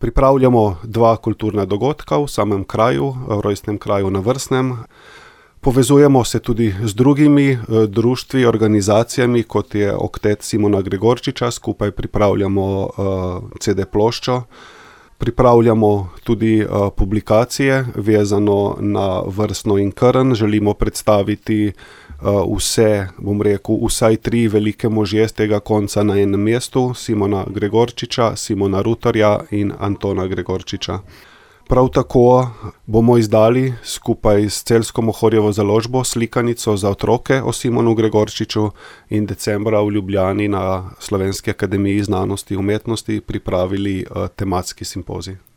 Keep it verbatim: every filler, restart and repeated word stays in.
Pripravljamo dva kulturna dogodka v samem kraju, v rojstnem kraju na Vrsnem. Povezujemo se tudi z drugimi društvi, organizacijami, kot je Oktet Simona Gregorčiča, skupaj pripravljamo ce de ploščo. Pripravljamo tudi publikacije, vezano na Vrsno in Krn. Želimo predstaviti vse, bom rekel, vsaj tri velike možje z tega konca na enem mestu, Simona Gregorčiča, Simona Rutarja in Antona Gregorčiča. Prav tako bomo izdali skupaj s Celjsko Mohorjevo založbo slikanico za otroke o Simonu Gregorčiču in decembra v Ljubljani na Slovenski akademiji znanosti in umetnosti pripravili tematski simpozij.